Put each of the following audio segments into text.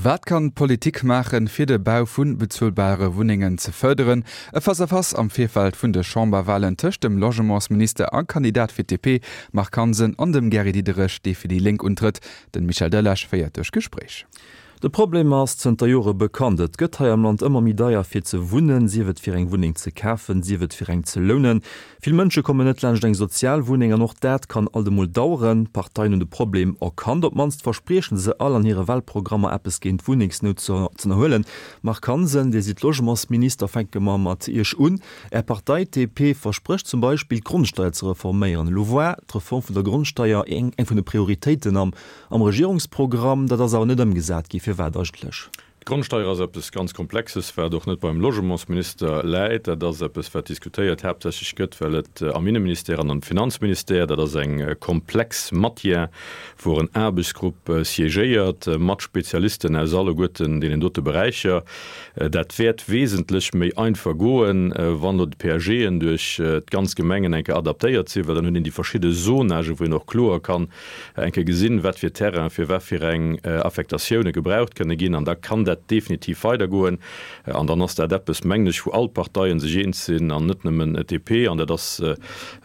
Wat kann d'Politik maachen, fir de Bau vu bezuelbare Wunnengen ze fërderen? E Face-à-face am Virfeld vun de Chamberwalen tëscht dem Logementsminister a Kandidat fir d'DP Marc Hansen an dem Gary Diderich, dee fir déi Lénk untrëtt. Den Michel Delage féiert duerch d'Gespréich. De Problem ass zënter Jore bekannt, Et gëtt hei am Land ëmmer méi deier fir ze wunnen, sief et fir eng Wunneng ze kafen, sief et fir eng ze lounen. Vill Mënsche kommen net laanscht eng Sozialwunneng an och dat kann alt emol daueren. D'Parteien hunn de Problem erkannt, op d'mannst versprieche se all an hire Walprogrammer eppes géint d'Wunnengsnout ze ënnerhuelen. Marc Hansen, Dir sidd Logementsminister, fänke mer mat Iech un. Är Partei, d'DP, versprécht zum Beispill d'Grondsteier ze reforméieren. Elo war d'Reform vun der Grondsteier eng vun de Prioritéiten am Regierungsprogramm. Dat ass awer net ëmgesat gi. Firwat eigentlech? D'Grondsteier ass eppes ganz Komplexes, wat och net beim Logementsminister läit. Dat ass eppes, wat diskutéiert haaptsächlech gëtt, well et am Inneministère an am Finanzministère, dat ass eng komplex Matière, wou en Aarbechtsgrupp siégéiert mat Spezialisten aus alleguerten deenen dote Beräicher. Dat wäert wesentlech méi einfach goen, wann elo d'PAGen duerch d'ganz Gemengen eng Kéier adaptéiert sinn, well dann huet een déi verschidde Zonagen, wou een och kloer kann eng Kéier gesinn, wat fir Terrainen fir wat fir eng Affektatioune gebraucht kënne ginn. An da kann dat definitiv weidergoen. An dann ass dat eppes, mengen ech, wou all d'Parteien sech eens sinn an net nëmmen d'DP. An dat ass,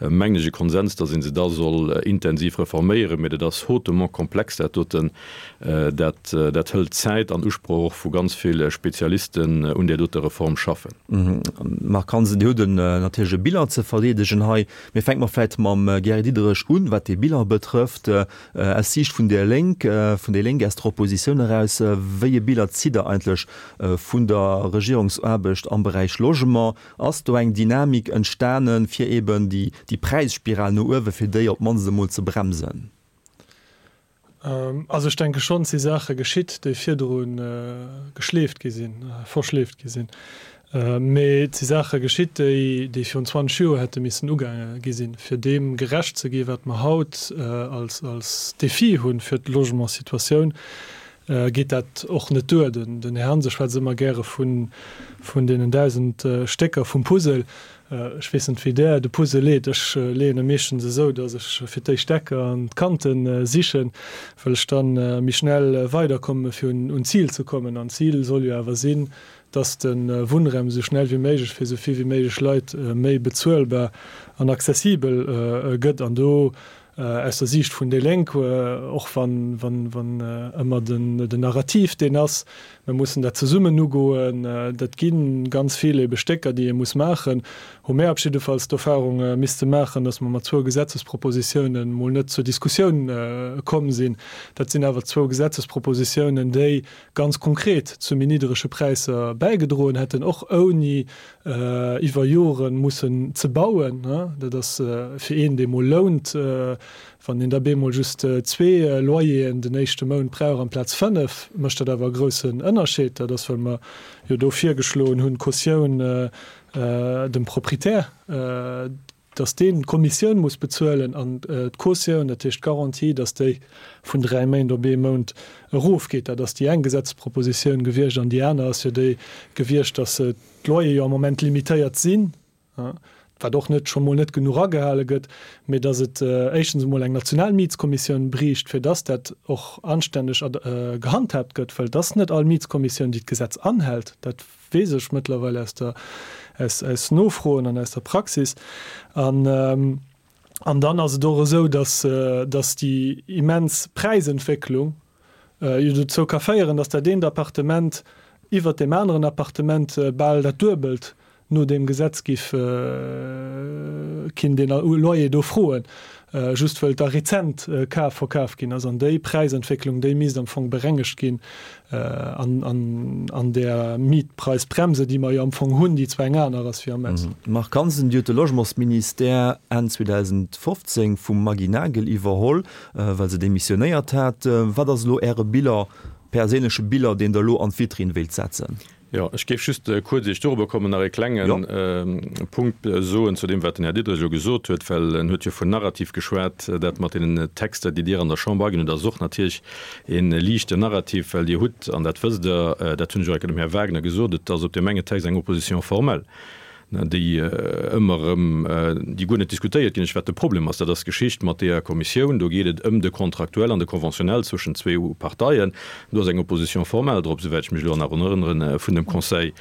mengen ech, e Konsens, datt ee se da soll intensiv reforméieren. Mee dat ass hautement komplex, dat doten. Dat, dat hëlt Zäit an Usproch och vu ganz vill Spezialisten un där doter Reform schaffen. Marc Hansen, Dir hutt en natierlech e Bilan ze verdeedegen hei. Mee fänke mer vläicht mam Gary Diderich un, wat dee Bilan betrëfft. Aus Siicht vun der Lénk, vun déi Lénk, aus der Oppositioun eraus, wéi e Bilan zitt Der eigentlech vun der Regierungsaarbecht am Beräich Logement? Ass do eng Dynamik entstanen, fir eben déi Präisspiral no uewe, fir déi op d'mannst emol ze bremsen? Also ech denke schonn, et si Saache geschitt, déi virdru geschleeft gi sinn, verschleeft gi sinn. Mee et si Saache geschitt, déi virun 20 Joer hätte missen ugaange gi sinn, fir deem gerecht ze ginn, wat mer haut als Defi hu fir d'Logementssituatioun. Geet dat och net duer. Den Här Hansen schwätzt ëmmer gäre vun deenen 1.000 Stécker vum Puzzle. Ech weess net, wéi Der de Puzzle leet. Ech leeën e meeschtens esou, datt ech fir d'éischt d'Ecker an d'Kante sichen, well ech da méi schnell weiderkomme fir un d'Zil ze kommen. An d'Zil soll jo awer sinn, datt de Wunnraum esou schnell wéi méiglech fir esou vill wéi méiglech Leit méi bezuelbar an accessibel gëtt. An do Aus der Siicht vun déi Lénk, och wann ëmmer den Narrativ deen ass, mir mussen dat zesummen ugoen, dat gi ganz vill ebe Stécker, déi ee muss maachen, hu mär op jiddefalls d'Erfahrung misste maachen, datt mer mat zwou Gesetzespropositiounen mol net zur Diskussioun komm sinn. Dat sinn awer zwou Gesetzespropositiounen, déi ganz konkret zu méi nidderege Präisser bäigedroen hätten, och ouni iwwer Joren mussen ze bauen. Dat ass fir een, dee mol lount, wann een da bemol just zwee Loyeren den éischte Mount brauch amplaz fënnef, mécht dat awer e groussen Ënnerscheed. Dat ass, well mer jo do virgeschloen hunn, d'Cautioun dem Proprietär, dass deen d'Kommissioun muss bezuelen an d'Cautioun, dat heescht d'Garantie, dass déi vun dräi Méint op ee Mount erofgeet. Dat ass déi eng Gesetzespropositioun gewiescht. An déi aner ass jo déi gewiescht, dass d'Loyer jo am Moment limitéiert sinn, wat och net scho mol net genuch agehale gëtt, mee dass et éischtens emol eng national Mietskommissioun briicht, fir dass dat och anstänneg gehandhaabt gëtt, well et ass net all Mietskommissioun, déi d'Gesetz anhält. Dat weess ech mëttlerweil aus der, aus, aus Nofroen an aus der Praxis. An, an dann ass et och esou, dass, dass déi immens Präisentwécklung jo dozou ka féieren, dass dat eent Appartement iwwert deem aneren Appartement bal dat Duebelt no deem Gesetz giff kinnt een Loyer do froen, just wëll et da rezent kaf verkaf ginn ass. An déi Präisentwécklung, déi misst am Fong berengegt ginn an där Mietpreisbremse, déi mer jo am Fong hunn, déi zwar eng aner ass wéi am Ausland. Marc Hansen, Dir hutt de Logementsministère Enn 2015 vum Maggy Nagel iwwerholl, well se demissionéiert hat. Wat ass elo Äre Bilan, perséinleche Bilan, deen Der elo an d'Vitrinn wéilt setzen? Jo, ech géif just kuerz, ier ech dorobber kommen, nach e klenge Punkt soen zu deem, wat den Här Diderich elo gesot huet, well en huet jo vun Narrativ geschwat. Dat mat deenen Texter, déi Dir an der Chamber aginn hutt, ass och natierlech e liichten Narrativ, well Dir hutt, an dat wësst Der, dat hunn ech och enke dem Här Wagner gesot, et ass op deem enge Text eng Opposition formelle. Déi ëmmer erëm, déi guer net diskutéiert ginn. Ech, wat de Problem ass, dat ass d'Geschicht mat deeër Kommissioun. Do geet et ëm de Contractuel an de Conventionnel zwëschent zwou Parteien. Do ass eng Opposition formelle drop, souwäit ech mech elo nach erënneren, vun dem Conseil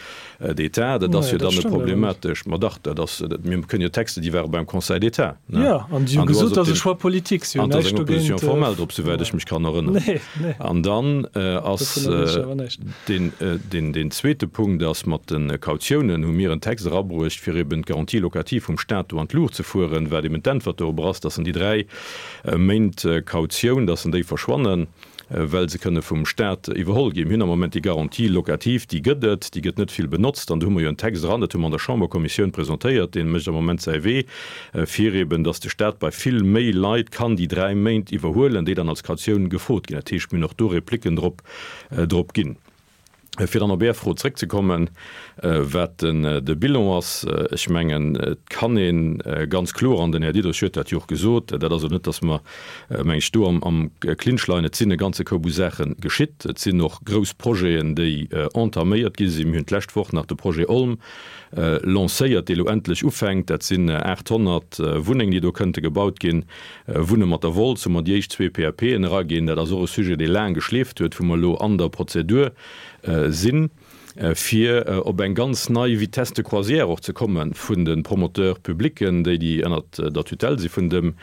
d'État. Dat ass jo dann net problematesch. Ma dach, dat ass, mir kënnen jo Texte, déi ware beim Conseil d'État. Jo, an déi hu gesot, dat ass e Choix politique. Si hunn näischt dogéint. An do ass eng Opposition formelle drop, souwäit ech mech kann erënneren. An dann ass deen zweete Punkt ass, mat de Kautiounen hu mir en Text erabruecht, fir eben d'Garantie locative vum Stat do an d'Luucht ze fueren, wat eben d'Äntwert dorobber ass, dass en déi 3 Méint Kautioun, dass en déi verschwannen, well se kënne vum Stat iwwerholl ginn. Mir hunn am Moment déi Garantie locative, déi gëtt et, déi gëtt net vill benotzt. An do hu mer jo en Text eran, dat hu mer an der Chamberkommissioun presentéiert, dee mécht am Moment säi Wee, fir eben, dass de Stat bei vill méi Leit kann déi 3 Méint iwwerhuelen, déi dann als Kautioun gefrot ginn. Dat heescht, mir hunn och do Repliquen drop, drop ginn. Fir dann op Är Fro zréckzekommen, wat de Bilan ass, ech mengen, et kann ee ganz kloer, an den Här Diderich huet dat jo och gesot, dat ass elo net, datt mer, meng ech, do am Clinch leien, et sinn e ganze Koup u Saache geschitt, et sinn och grouss Projeten, déi entaméiert gi sinn. Mir hunn d'lescht Woch nach de Projet Olm lancéiert, dee lo endlech ufänkt. Dat sinn 800 Wunnengen, déi do kënnte gebaut ginn. Wunne mat der Wolz hu mer déi éischt zwee PAPen eraginn. Dat ass och e Sujet, dee laang geschleeft huet, wou mer elo an der Prozedur sinn, fir op eng ganz nei Vitesse de croisière och ze komme vun de Promoteurs publics, déi déi ënnert der Tutelle si vun dem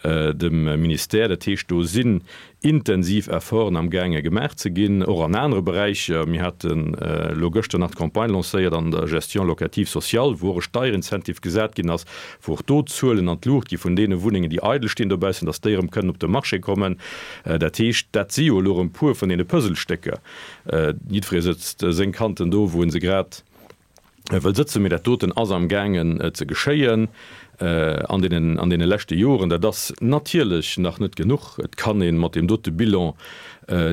dem Ministère. Dat heescht, do sinn intensiv Efforten am gaange gemaach ze ginn, och an anere Beräicher. Mir haten elo gëschter nach d'Campagne lancéiert an der Gestion locative sociale, wou och e Steierincentive gesat ginn ass, wou och do d'Zuelen an d'Luucht gi vun deene Wunnengen, déi eidel stinn dobaussen, dass déi erëm kënnen op de Marché kommen. Dat heescht, dat si jo elo erëm puer vun deene Puzzlestécker. Jiddweree sëtzt seng Kanten do, wou e se grad wëll sëtzen, mee dat doten ass am gaangen ze geschéien an deenen, an deene leschte Joren. Dat ass natierlech nach net genuch. Et kann ee mat deem dote Bilan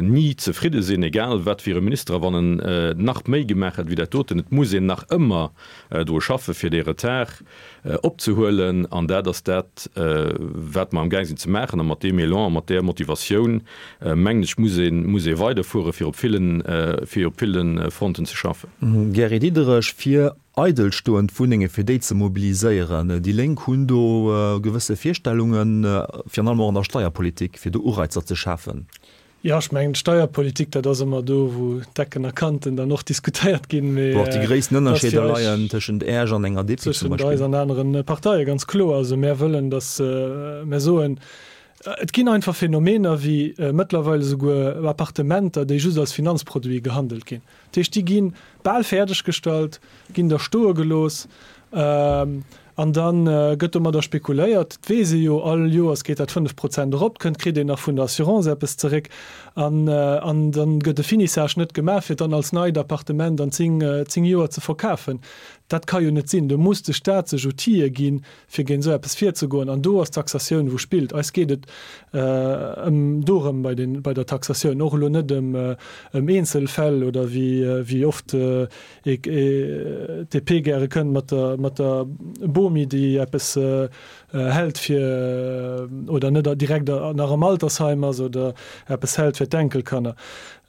ni zefridde sinn, egal wat fir e Minister, a wann en nach méi gemaach hätt wéi dat doten. Et muss een nach ëmmer dru schaffen, fir dee Retard opzehuelen, an dat ass dat, wat mer amgaang sinn ze maachen. A mat deem Elan a mat där Motivatioun, mengen ech, muss ee muss ee weiderfueren, fir op villen, fir op ville Fronten ze schaffen. Gary Diderich, Fir eidelstoend Wunnenge fir déi ze mobiliséieren. Déi Lénk hunn do gewësse Virstellungen, virun allem och an der Steierpolitik, fir do Ureizer ze schafen. Jo, ech mengen, d'Steierpolitik, dat ass ëmmer do, wou d'Ecken a Kanten dann och diskutéiert ginn, mee Wou och déi gréissten Ënnerscheeder leien tëschent Äech an enger DP zum Beispill. Tëschent eis an anere Parteie, ganz kloer. Also mär wëllen, datt, mär soen, et ginn einfach Phänomener wéi mëttlerweil esouguer Appartementer, déi just als Finanzproduit gehandelt ginn. Dat heescht, déi gi bal fäerdeg gestallt, ginn da stoe gelooss An da gëtt domadder spekuléiert, et weess ee jo, all Joers geet dat 5 Prozent erop, kënnt, kritt een nach vun der Assurance eppes zeréck. An dann gëtt e Finissage net gemaach, fir et dann als neit Appartement an 10, 10 Joer ze verkafen. Dat ka jo net sinn. Do muss de Stat sech Outile ginn, fir géint esou eppes virzegoen. An do ass d'Taxatioun, wou spillt. Eis geet et ëm dorëm bei den, bei der Taxatioun, och elo net ëm, ëm Eenzelfäll oder wéi, wéi oft d'DP gäre kënnt mat der, mat der Bomi, déi eppes hält fir, oder net direkt nach am Altersheim ass oder eppes hält fir d'Enkelkanner.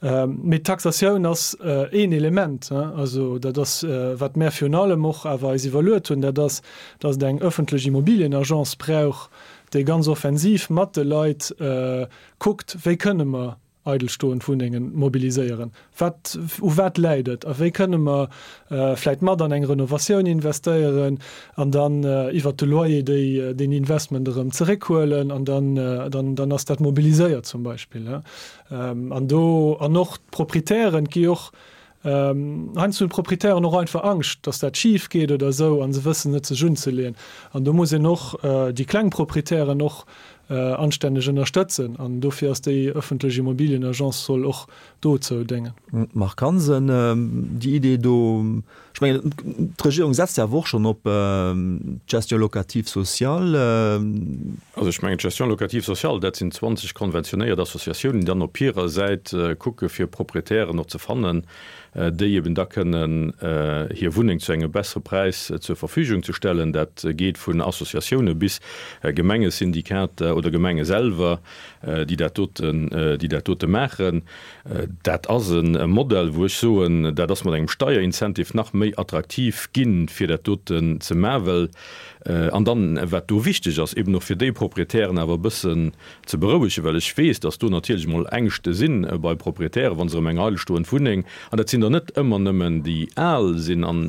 Mee d'Taxatioun ass een Element. Also dat ass, wat mär virun allem och awer eis iwwerluet hunn, dat ass, datt et eng öffentlech Immobilienagence brauch, déi ganz offensiv mat de Leit kuckt, wéi kënne mer eidelstoend Wunnengen mobiliséieren? Wat, u wat läit et a wéi kënne mer vläit mat an eng Renovatioun investéieren an dann iwwert de Loyer déi, deen Investment erëm zeréckhuelen an dann, dann, dann ass dat mobiliséiert zum Beispill. An do, an och d'Proprietären, et gi och Heiansdo hunn d'Proprietären och einfach Angscht, dass dat schif geet oder esou a se wëssen net sech unzeleeën. An do muss een och déi kleng Proprietären och anstänneg ënnerstëtzen an dofir ass déi ëffentlech Immobilienagence soll och dozou déngen. Marc Hansen, Déi Idee do, ech mengen d'Regierung setzt jo awer och schonn op d'Gestion locative sociale. Also ech mengen d'Gestion locative sociale, dat sinn 20 konventionéiert Associatiounen, déi dann op hirer Säit kucke fir Proprietären och ze fannen, déi eben da kënnen hir Wunneng zu engem bessere Präis zur Verfügung ze stellen. Dat geet vun Associatioune bis Gemengesyndikater. oder Gemenge selwer, déi dat doten, déi dat dote maachen. Dat ass e Modell, wou ech soen, dat ass mat engem Steierincentive nach méi attraktiv ginn, fir dat doten ze maachen, well, an dann, wat do wichteg ass, eben och fir déi Proprietären awer e bëssen ze berouegen, well ech weess, dass do natierlech emol Ängschte si bei Proprietären, wa se erëm eng eidelstoend Wunneng, an dat sinn der net ëmmer nëmmen déi al sinn an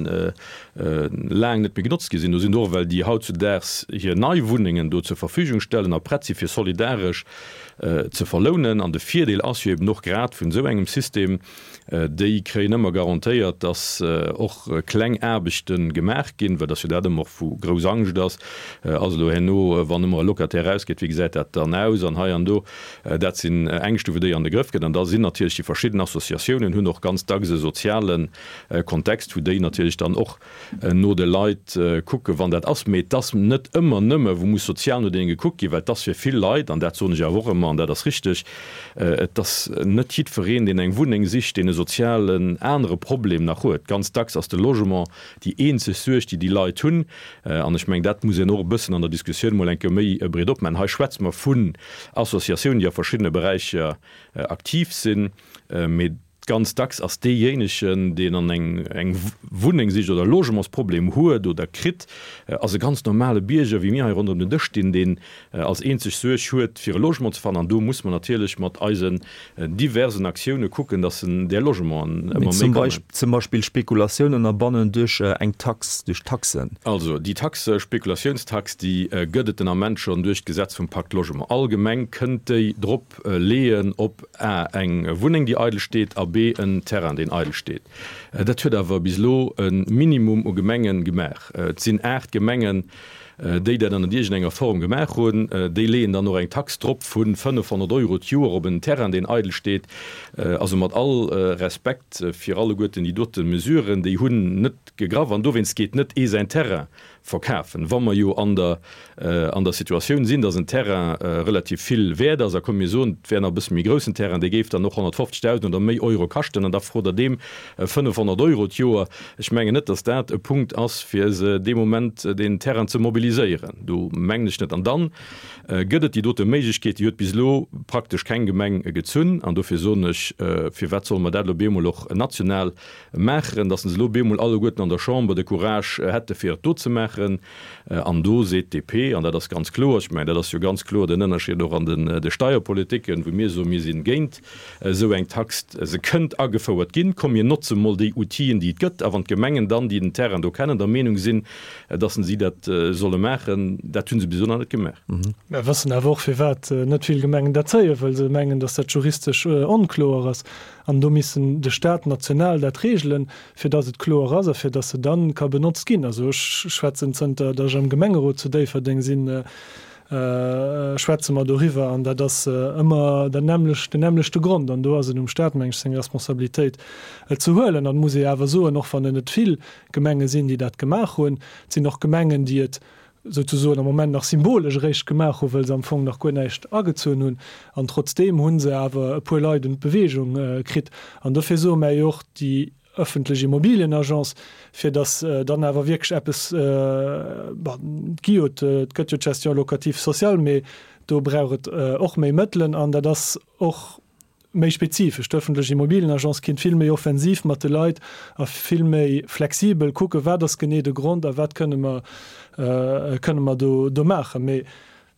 laang net méi genotzt gi sinn, do sinn der och well déi hautzudaags hir nei Wunnengen do zur Verfügung stellen a prett si fir solidaresch ze verlounen. An de Virdeel ass jo eben och grad vun esou engem System, Déi kréien ëmmer garantéiert, dass och kleng Aarbechte gemaach ginn, well dass jo dat ëmmer och wou grouss Angscht ass, ass elo herno, wann ëmmer e Locataire erausgeet, wéi gesäit dat dann aus an hei an do. Dat sinn Ängschte wou déi an de Grëff gëtt. An da sinn natierlech déi verschidden Associatiounen hunn och ganz dacks e soziale Kontext, wou déi natierlech dann och no de Leit kucken, wann dat ass. Mee et ass net ëmmer nëmme, wou muss sozial no deene gekuckt ginn, well et ass fir vill Leit, an dat soen ech awer och ëmmer, an dat ass richteg, et ass net jiddwereen, deen eng Wunneng sicht, deen e sozialen anere Problem nach huet. Ganz dacks ass de Logement déi eenzeg Suerg, déi déi Leit hunn. An ech mengen, dat muss een och e bëssen an der Diskussioun emol eng Kéier méi breet opmaachen. Hei schwätze mer vun Associatiounen, déi a verschiddene Beräicher aktiv sinn, mee Ganz dacks ass deejéinegen, deen an eng eng Wunneng sicht oder e Logementsproblem huet oder kritt, ass e ganz normale Bierger, wéi mir hei ronderëm den Dësch stinn, deen als eenzeg Suerg huet, fir e Logement ze fannen. An do muss mer natierlech mat eisen diversen Aktioune kucken, dass en där Logementen ëmmer méi kommen. Zum Beispill Spekulatioun ënnerbannen duerch eng Tax, duerch Taxen. Also déi Taxe, Spekulatiounstax, déi gëtt et den Ament schonn duerch d'Gesetz vum Pacte Logement. All Gemeng kënnt déi drop leeën op a eng Wunneng, déi eidel steet, a b en Terrain, deen eidel steet. Dat huet awer bis elo e Minimum u Gemenge gemaach. Et sinn 8 Gemengen, déi dat an iergendenger Form gemaach hunn. Déi leeën dann och eng Tax drop vu 500 Euro d'Joer op en Terrain, deen eidel steet. Also mat all Respekt fir alleguerten déi dote Mesuren, déi hunn net gegraff an dowéinst geet net ee säin Terrain verkafen. Wa mer jo an der an der Situatioun sinn, datt en Terrain relativ vill wäert ass, a komm mir soen, et wär nach e bësse méi groussen Terrain, dee géif dann och 150.000 oder méi Euro kaschten, an da frot Der deem 500 Euro d'Joer. Ech mengen net, datt dat e Punkt ass, fir se dee Moment deen Terrain ze mobiliséieren. Do mengen ech net. An dann gëtt et déi dote Méiglechkeet, déi huet bis elo praktesch keng Gemeng gezunn, an dofir soen ech, firwat solle mer dat elo bemol och national Maachen, datt se elo bemol alleguerten an der Chamber de Courage hätte fir et do ze maachen. An do seet d'DP, an dat ass ganz kloer, ech mengen dat ass jo ganz kloer den Ënnerscheed och an de Steierpolitiken, wou mir soen, mir si géint esou eng Tax, se kënnt agefouert ginn, komm mir notze mol déi Outile déi et gëtt, a wann d'Gemengen dann, déi den Terrain do kennen, der Meenung sinn, datt si dat solle maachen, dat hu se bis elo nach net gemaach. Mer wëssen awer och firwat net vill Gemengen dat zéien, well se mengen, datt dat juristesch onkloer ass. An do missen de Stat national dat regelen, fir datt et kloer ass a fir datt se dann ka benotzt ginn. Also ech schwätzen zënter datt ech am Gemengerot zu Déifferdeng sinn, schwätze mer doriwwer an dat ass ëmmer dat nämmlecht, den nämmlechte Grond. An do ass et um Stat, meng ech, seng Responsabilitéit et ze huelen. An et muss ee awer soen, och wann et net vill Gemenge sinn, déi dat gemaach hunn, et sinn och Gemengen, déi et souzesoen am Moment nach symbolesch eréischt gemaach hunn, wëll se am Fong nach guer näischt agezunn hunn. An trotzdeem hu se awer e puer Leit un d'Beweegung kritt. An dofir soe mär jo och, déi ëffentlech Immobilienagence, fir datt dann awer wierklech eppes, bon, et gi jo, et gëtt jo d'Gestion locative sociale, mee do brauch et och méi Mëttelen an dat ass och, méi spezifesch. D'ëffentlech Immobilienagence kinnt vill méi offensiv mat de Leit a vill méi flexibel kucken, wat ass genee de Grond a wat kënne mer, kënne mer do, do maachen. Mee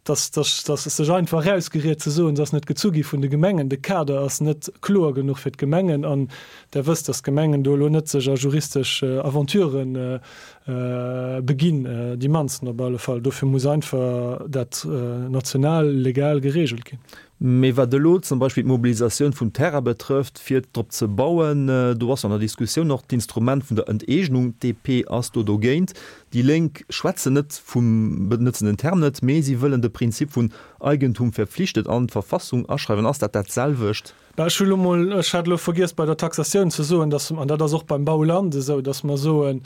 dass, dass, dass es sech einfach erausgeriet ze soen, se ass net gezu gi vun de Gemengen, de Kader ass net kloer genuch fir d'Gemengen an Der wësst, dass d'Gemengen do elo net sech a juristesch Aventuren beginn, déi mannsten op alle Fall. Dofir muss einfach dat national legal geregelt ginn. Mee wat elo zum Beispill d'Mobilisatioun vum Terrain betrëfft, fir drop ze bauen, do ass an der Diskussioun och d'Instrument vun der Enteegnung. D'DP ass do dogéint. Déi Lénk schwätzen net vum, benëtzen den Term net, mee si wëllen de Prinzip vun Eigentum verpflichtet an d'Verfassung aschreiwen. Ass dat dat selwecht? Bah, ech hu lo mol, ech hat elo vergiess bei der Taxatioun ze soen, dass, an dat ass och beim Bauland esou, dass mer soen,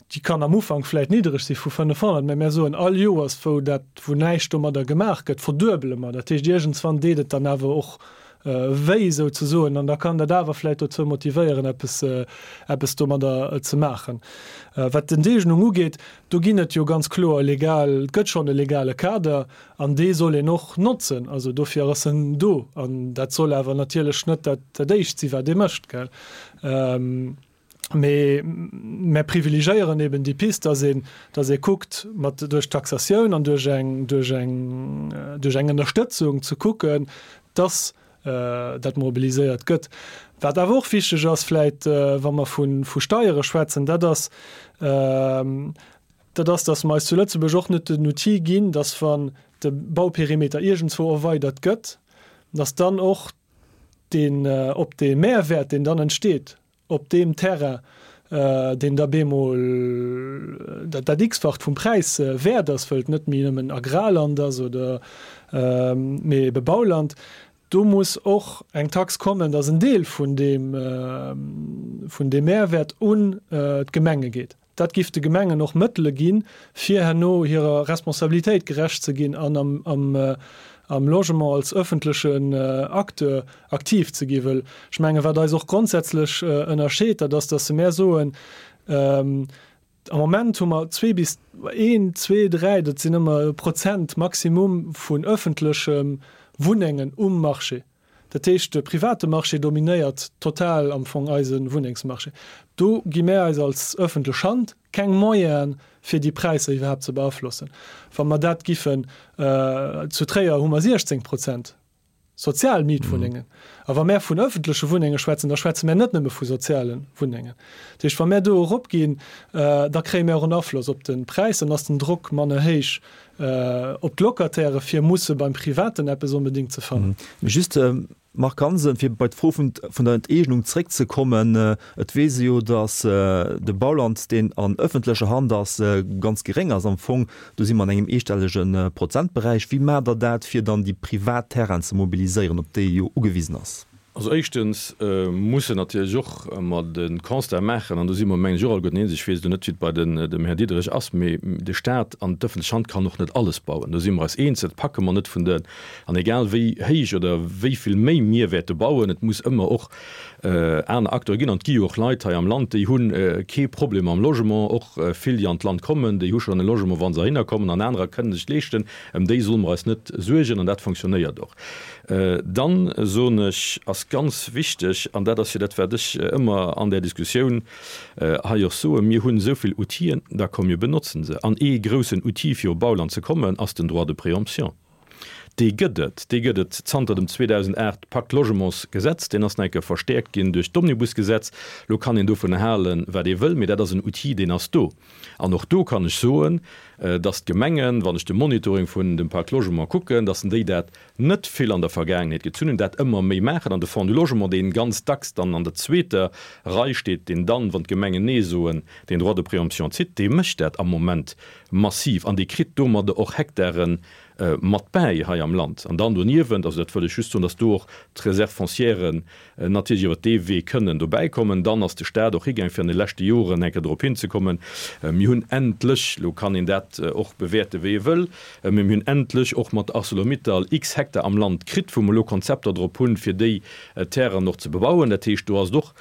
Déi kann am Ufank vläicht niddereg si vu 500, mä mär soen, all Joers, wou dat, wou näischt domadder gemaach gëtt, verduebele mer. Dat heescht, iergendswann deet et dann awer och. wéi souzesoen, an da kann dat awer vläicht dozou motivéieren, eppes, eppes domadder ze maachen. Wat d'Enteegnung ugeet, do ginn et jo ganz kloer legal, et gëtt schonn e legale Kader an dee soll een och notzen. Also dofir ass en do an dat soll awer natierlech net dat, dat Éischt si wat ee mécht, gell. Mee mär privilegéieren eben déi Pist, dass een, dass ee kuckt, mat duerch d'Taxatioun an duerch eng, duerch eng, duerch eng Ënnerstëtzung ze kucken, dass dat mobiliséiert gëtt. Wat awer och wichteg ass vläit, wa mer vu, vu Steiere schwätzen, dat ass, dat ass, dass mer eis zu Lëtzebuerg och net den Outil ginn, dass wann de Bauperimeter iergendzwou erweidert gëtt, dass dann och deen, op dee Mehrwäert, deen dann entsteet op deem Terrain, deen da bemol dat, dat x-facht vum Präis wäert ass, wëll et net méi nëmmen Agrarland ass oder, mee ebe Bauland, do muss och eng Tax kommen, dass en Deel vun deem, vun deem Mehrwäert un d'Gemenge geet. Dat giff de Gemengen och Mëttele ginn, fir herno hirer Responsabilitéit gerecht ze ginn an am Logement als öffentlechen Acteur aktiv ze ginn. Wëll ech mengen, wat eis och grondsätzlech ënnerscheet, dat ass, dass mär soen, am Moment hu mer zwee bis een, zwee, dräi, dat sinn ëmmer Prozent Maximum vun öffentleche Wunnengen um Marché. Dat heescht, de private Marché dominéiert total am Fong eise Wunnengsmarché. Do gi mär eis als ëffentlech Hand keng Moyenen, fir déi Präisser iwwerhaapt ze beaflossen. Wa mer dat giffen, zu Tréier hu mer 16 Prozent sozial Mietwunnengen. A wa mär vun ëffentleche Wunnenge schwätzen, da schwätze mär net nëmme vu soziale Wunnengen. Dat heescht, wa mär do eropginn, da kréie mär och en Afloss op de Präis, dann ass den Drock manner héich Op d'Locataire fir musse beim Privaten eppes onbedéngt ze fannen. Just, Marc Hansen, fir bei d'Fro vun der Enteegnung zréckzekommen, Et weess ee jo, datt de Bauland, deen an ëffentlecher Hand ass, ganz geréng ass am Fong. Do si mer an engem eestellege Prozentberäich. Wéi maacht Der dat, fir dann déi privat Terrainen ze mobiliséieren, op déi ee jo ugewisen ass? Also éischtens muss en natierlech och ëmmer de Constat maachen, an do si mer, mengen ech, och alleguerten eens, ech weess elo net, wéi et bei dem Här Diderich ass, mee de Stat an d'ëffentlech Hand kann och net alles bauen. Do si mer eis eens, dat packe mer net vun de, an egal wéi héich oder wéi vill méi mir wäerte bauen, et muss ëmmer och aner Acteure ginn. An et gi jo och Leit hei am Land, déi hu kee Problem mam Logement, och vill, déi an d'Land kommen, déi hu schonn e Logement, wa se heihinner kommen, an anerer kënnen sech et leeschten. Ëm déi solle mer eis net suergen, an dat fonctionnéiert och. Dann soen ech, ass ganz wichteg, an dat ass jo dat, wat ech ëmmer an där Diskussioun hei och soen, Mir hunn esou vill Outiller, da komm mir benotzen se. An ee groussen Outil, fir op Bauland ze kommen, ass den Droit de préemption. Dee gëtt et. Dee gëtt et zanter dem 2008 Pacte Logements-Gesetz. Deen ass nach eng Kéier verstäerkt ginn duerch d'Omnibus-Gesetz. Elo kann een dovunner halen, wat ee wëll, mee dat ass en Outil, deen ass do. An och do kann ech soen, dass d'Gemengen, wann ech de Monitoring vun dem Pacte Logement kucken, dass déi dat net vill an der Vergaangenheet gezunn hunn, dat ëmmer méi maachen. An de Fonds du Logement, dee ganz dacks dann an der zweeter Rei steet, deen dann, wann d'Gemengen Nee soen, den Droit de préemption zitt, dee mécht dat am Moment massiv an dee kritt domadder och Hektare mat bäi hei am Land. An dann doniewent, also dat wëll ech just soen, dass do och d'Réserves foncièren natierlech iwwert dee Wee kënnen dobäi kommen. Dann ass de Stat och higaang, fir an de leschte Joren eng Kéier dorop hinzekommen, mir hunn endlech, elo kann een dat och bewäerte wéi ee wëll, mä mir hunn endlech och mat Arcelor-Mittal x Hektar am Land kritt, wou mer elo Konzepter drop hunn, fir déi Terrainen och ze bebauen. Dat heescht, do ass et och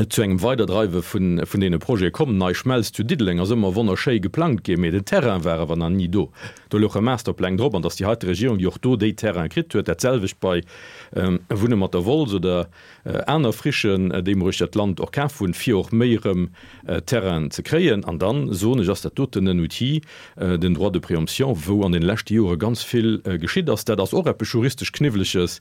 zu engem Weiderdreiwe vun deene Projete komm. Nei Schmelz zu Diddeleng ass ëmmer wonnerschéi geplangt ginn, mee den Terrain war awer nach ni do. Do louche Masterpläng drop, an dass déi heite Regierung, déi och do déi Terraine kritt huet, dat selwecht bei Wunne mat der Wolz oder aner Frichen, déi mer uechter d'Land och kaf hunn, fir och méi erëm Terrainen ze kréien. An dann, soen ech, ass dat doten en Outil, den Droit de préemption, wou an deene leschte Jore ganz vill geschitt ass. Dat ass och eppes juristesch Kniwweleges,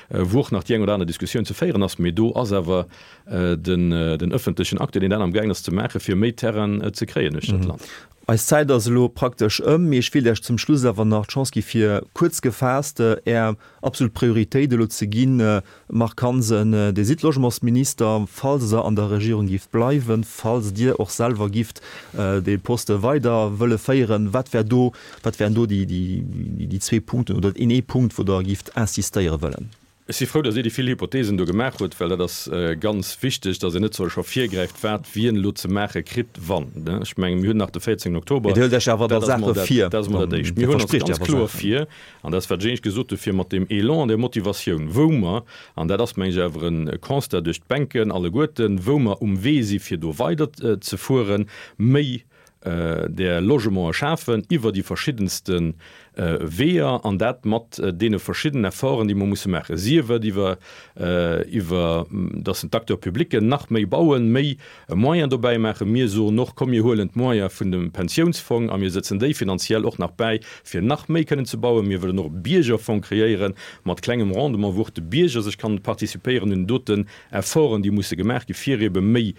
wou och nach déi eng oder aner Diskussioun ze féieren ass, mee do ass awer den ëffentlechen Acteur, deen dat amgaangen ass ze maachen, fir méi Terrainen ze kréien uechter d'Land. Eis Zäit ass elo praktesch ëm, mee ech wéilt Iech zum Schluss awer nach d'Chance gi fir kuerz gefaasst Är absolut Prioritéit elo ze ginn. Marc Hansen, Dir sidd Logementsminister. Falls Der an der Regierung gift bleiwen, falls Dir och selwer gift dee Poste weider wëlle féieren, wat wär do, wat wären do déi zwee Punkten oder een ee Punkt, wou Der gift insistéiere wëllen? Ech si frou, datt Dir déi vill Hypothesen do gemaach hutt, well dat ass ganz wichteg, datt een net scho virgräift, wat wien elo ze maache kritt, wann. Ech mengen, mir hunn nach de 14 Oktober. Mee Dir huelt Iech awer da Saache vir. Dat ass emol dat Éischt. Mir huelen ons ganz kloer vir, an dat ass, wat ech éinescht gesot hu fir mat deem Elan an där Motivatioun, wou mer, an dat ass, meng ech, awer e Constat duerch d'Bänken alleguerten, wou mer um Wee si fir do weiderzefueren, méi där Logementë schafen iwwer déi verschiddenste Weeër, an dat mat deene verschiddenen Efforten, déi mer musse maachen, sief et iwwer, iwwer dass d'Acteurs publics nach méi bauen, méi Moyens dobäi maachen. Mir soen och, komm mir huelen d'Moyens vun dem Pensiounsfong a mir sëtzen déi finanziell och nach bäi, fir nach méi kënnen ze bauen. Mir wëllen och e Biergerfong kreéiere mat klengem Rendement, wou och de Bierger sech kann participéieren un den doten Efforten, déi musse gemaach gi fir ebe méi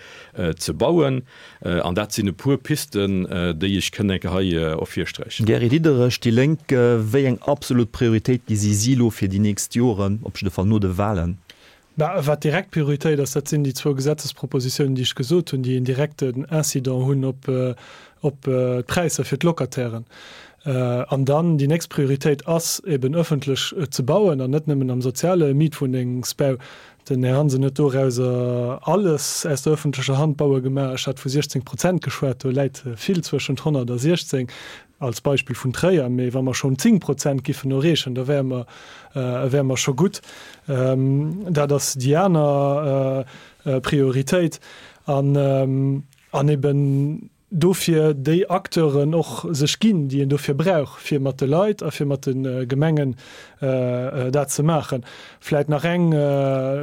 ze bauen. An dat sinn e puer Pisten, déi ech kënn enke hei ervirsträichen. Gary Diderich, déi Lénk, Wéi eng absolut Prioritéit gesi si elo fir déi nächst Joren, op jidde Fall no de Wahlen? Bah, wat direkt Prioritéit ass, dat sinn déi zwou Gesetzespropositiounen, déi ech gesot hunn, déi en direkten Incident hunn op op d'Präisser fir d'Locatairen. An dann déi nächst Prioritéit ass eben ëffentlech ze bauen an net nëmmen am soziale Mietwunnengsbau. Den Här Hansen huet dorauser alles aus der öffentlecher Hand baue gemaach. Ech hat vu 16 Prozent geschwat, do läit vill zwëschent 100 a 16, als Beispill vun Tréier. Mee wa mer schonn 10 Prozent giffen erreechen, da wäre mer, wäre mer scho gutt. Dat ass déi aner Prioritéit. An, an eben dofir déi Acteuren och sech ginn, déi een dofir brauch, fir mat de Leit a fir mat de Gemengen dat ze maachen. Vläit nach eng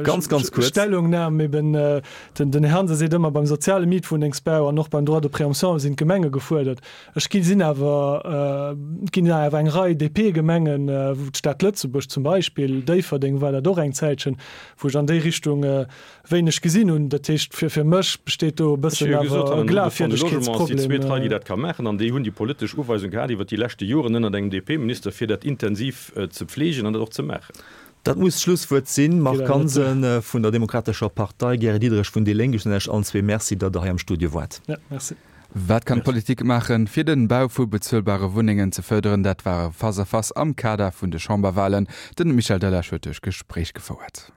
Ganz, ganz kuerz. Stellungnam, eben den Här Hansen seet ëmmer, beim soziale Mietwunnengsbau an och beim Droit de préemption sinn d'Gemenge gefuerdert. Ech gi sinn awer, et ginn awer eng Rei DP-Gemengen, wou d'Stad Lëtzebuerg zum Beispill, Déifferdeng war dat och eng Zäitchen, wou ech an déi Richtung wéineg gesinn hunn. Dat heescht, fir fir mech besteet do e bëssen awer e Glafwierdegkeetsproblem. Déi zweet Rei, déi dat ka maachen, an déi hunn déi politesch Uweisung gehat iwwert déi leschte Joren ënnert engem DP-Minister, fir dat intensiv ze pflegen an dat och ze maachen. Dat muss d'Schlusswuert sinn. Marc Hansen vun der Demokratescher Partei, Gary Diderich vun déi Lénk, ech soen Iech allen zwee Merci, datt Der hei am Studio waart. Ja, merci. Wat kann d'Politik maachen, fir den Bau vu bezuelbare Wunnengen ze fërderen? Dat war e Face-à-Face am Kader vun de Chamberwalen. Den Michel Delage huet duerch Gespréich gefouert.